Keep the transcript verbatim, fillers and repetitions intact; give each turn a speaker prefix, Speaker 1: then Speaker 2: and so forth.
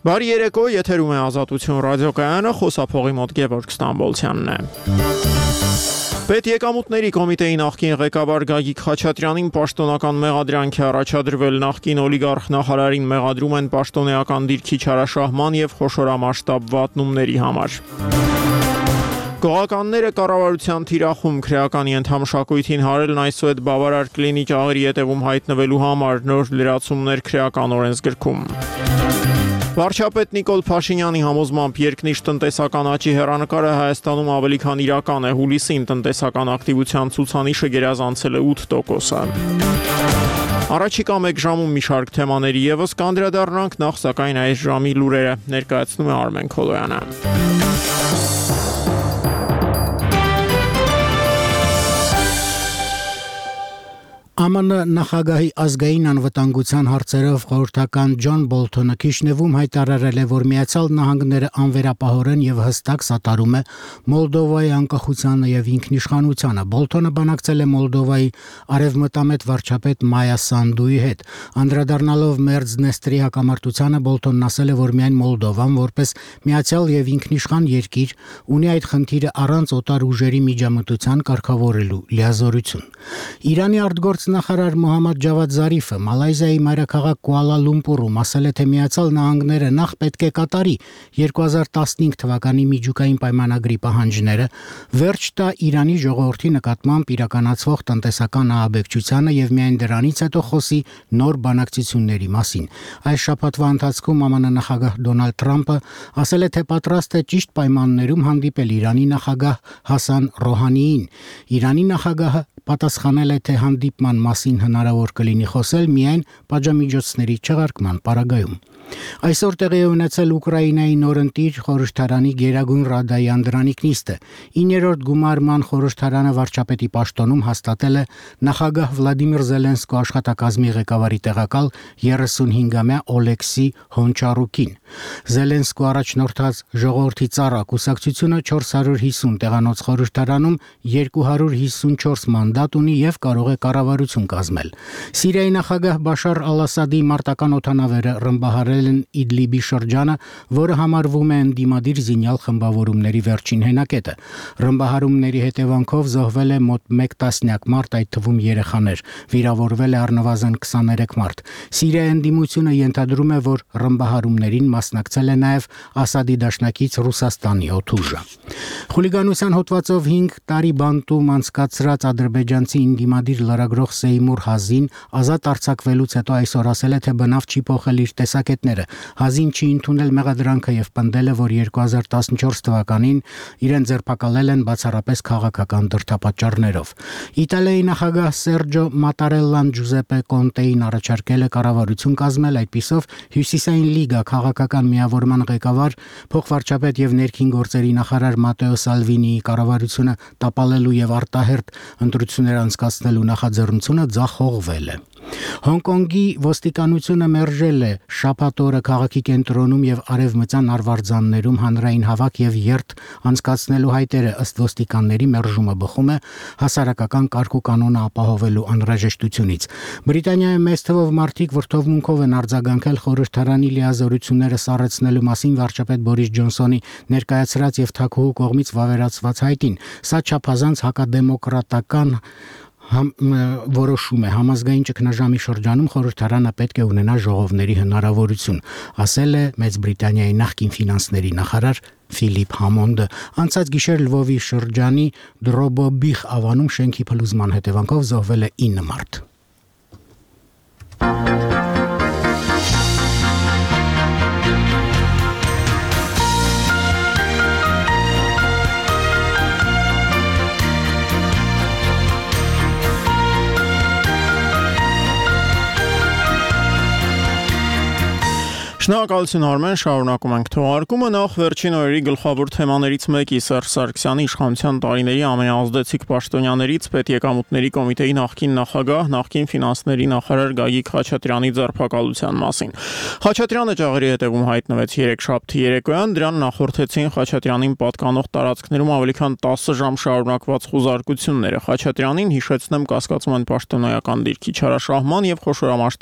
Speaker 1: Բարի երեկո, եթերում է Ազատություն ռադիոկայանը, խոսափողի մոտ Գևորգ Ստամբոլցյանն է։ Պետեկամուտների կոմիտեի նախկին ղեկավար Գագիկ Խաչատրյանին պաշտոնական մեղադրանք է առաջադրվել նախկին օլիգարխ նախարարին մեղադրում են պաշտոնեական դիրքի չարաշահման եւ խոշորամասշտաբ վատնումների համար։ Գողականները կառավարության թիրախում քրեականի ընդհանրաշակույթին հարելն այսուհետ բավարար կլինի ճաղերի ետևում հայտնվելու համար նոր լրացումներ քրեական օրենսգրքում։ Վարչապետ Նիկոլ Փաշինյանի համոզմամբ երկնիշ տնտեսական աճի հեռանկարը Հայաստանում ավելի քան իրական է, հուլիսին տնտեսական ակտիվության ցուցանիշը գերազանցել է ութ տոկոսը։ Առաջիկա մեկ ժամում մի շարք թեմաների եւս կանդրադառնանք, նախ սակայն այս ժամի լուրերը ներկայացնում է Արմեն Քոլոյանը։
Speaker 2: Է Մ Ն նախագահի ազգային անվտանգության հարցերով խորհրդական Ջոն Բոլթոնը Քիշնևում հայտարարել է, որ Միացյալ Նահանգները անվերապահորեն եւ հստակ սատարում է Մոլդովայի անկախությանը եւ ինքնիշխանությանը։ Բոլթոնը բանակցել է Մոլդովայի արևմտամետ վարչապետ Մայա Սանդուի հետ։ Անդրադառնալով Մերձնեստրի հակամարտությանը, Բոլթոնն ասել է, որ միայն Մոլդովան որպես միացյալ եւ ինքնիշխան երկիր ունի այդ խնդիրը առանց օտար ուժերի միջամտության կարգավորելու լիազորություն։ Իրանի արտգործ նախարար Մոհամմադ Ջավադ Զարիֆը Մալայզիայի մայրաքաղաք Կուալա Լումպուրում ասել է, թե Միացյալ Նահանգները նախ պետք է կատարի երկու հազար տասնհինգ թվականի միջուկային պայմանագրի պահանջները, վերջ տա Իրանի ժողովրդի նկատմամբ իրականացվող տնտեսական ահաբեկչությանը եւ միայն դրանից հետո խոսի նոր բանակցությունների մասին։ Այս շաբաթվա ընթացքում Ա Մ Ն նախագահ Դոնալդ Թրամփը ասել է, թե պատրաստ է ճիշտ պայմաններում հանդիպել Իրանի նախագահ Հասան Ռոհանիին։ Իրանի նախագահը պատասխանել է, թե հանդիպման մասին հնարավոր կլինի խոսել միայն պատժամիջոցների չեղարկման պարագայում։ Այսօր տեղի է ունեցել Ուկրաինայի նորընտիր խորհրդարանի Գերագույն Ռադայի անդրանիկ նիստը։ իններորդ գումարման խորհրդարանը վարչապետի պաշտոնում հաստատել է նախագահ Վլադիմիր Զելենսկու աշխատակազմի ղեկավարի տեղակալ երեսունհինգամյա Օլեքսի Հոնչարուկին։ Զելենսկու առաջնորդած ժողովրդի ծառ կուսակցությունը չորս հարյուր հիսուն տեղանոց խորհրդարանում երկու հարյուր հիսունչորս մանդատ ունի եւ կարող է կառավարություն կազմել։ Սիրիայի նախագահ Բաշար Ալ-Ասադի մարտական օդանավերը ռմբահարել են Իդլիբի շրջանը, որը համարվում է ընդդիմադիր զինյալ խմբավորումների վերջին հենակետը։ Ռմբահարումների հետևանքով զոհվել է մոտ մեկ տասնյակ մարդ, այդ թվում երեխաներ, վիրավորվել է առնվազն քսաներեք մարդ։ Սիրիայի ընդդիմությունը ենթադրում է, որ ռմբահարումներին մասնակցել է նաև Ասադի դաշնակից Ռուսաստանի օդուժը։ Խուլիգանության հոդվածով հինգ տարի բանտում անցկացրած ադրբեջանցի ինդիմադիր լրագրող Սեյմուր Հազին ազատ արձակվելուց հետո այսօր ասել է, թե բնավ չի փոխել իր տեսակետները։ Հազին չի ընդունել մեղադրանքը եւ պնդել է, որ երկու հազար տասնչորս թվականին իրեն ձերբակալել են բացառապես քաղաքական դրդապատճառներով։ Իտալիայի նախագահ Սերջո Մատարելլան Ջուզեպե Կոնտեին առաջարկել է կառավարություն կազմել, այդպիսով Հյուսիսային լիգա քաղաքական միավորման ղեկավար փոխվարչապետ եւ ներքին գործերի նախարար Մատեո Սալվինիի կառավարությունը տապալելու եւ արտահերթ ընտրություններ անցկացնելու նախաձեռնությունը ձախողվել է։ Հոնկոնգի ոստիկանությունը մերժել է շաբաթ օրը քաղաքի կենտրոնում եւ արևմտյան արվարձաններում հանրային հավաք եւ երթ անցկացնելու հայտերը, ըստ ոստիկանների մերժումը բխում է հասարակական կարգ ու կանոնը ապահովելու անհրաժեշտությունից։ Բրիտանիայում մեծ թվով մարդիկ վրդովմունքով են արձագանքել խորհրդարանի լիազորությունները սառեցնելու մասին վարչապետ Բորիս Ջոնսոնի ներկայացրած եւ թագուհու կողմից վավերացված հայտին։ Սա չափազանց հակադեմոկրատական Համ, որոշում է համազգային ճգնաժամի շրջանում խորհրդարանը պետք է ունենա ժողովների հնարավորություն, ասել է Մեծ Բրիտանիայի նախկին ֆինանսների նախարար Ֆիլիպ Համոնդը։ Անցած գիշեր Լվովի շրջանի Դրոբոբիխ ավանում շենքի փլուզման հետևանքով զոհվել է ինը մարդ։
Speaker 1: Շնորհակալություն Արմեն, շարունակում ենք թողարկումը։ Նախ վերջին օրերի գլխավոր թեմաներից մեկի Սերժ Սարգսյանի իշխանության տարիների ամենաազդեցիկ պաշտոնյաներից Պետեկամուտների կոմիտեի նախկին նախագահ, նախկին ֆինանսների նախարար Գագիկ Խաչատրյանի ձերբակալության մասին։ Խաչատրյանը ճաղերի հետևում հայտնվեց երեքշաբթի երեկոյան, դրան նախորդեցին Խաչատրյանին պատկանող տարածքներում ավելի քան տասը ժամ շարունակված խուզարկությունները։ Խաչատրյանին, հիշեցնեմ, կասկածում են պաշտոնեական դիրքի չարաշահման եւ խոշորամասշտաբ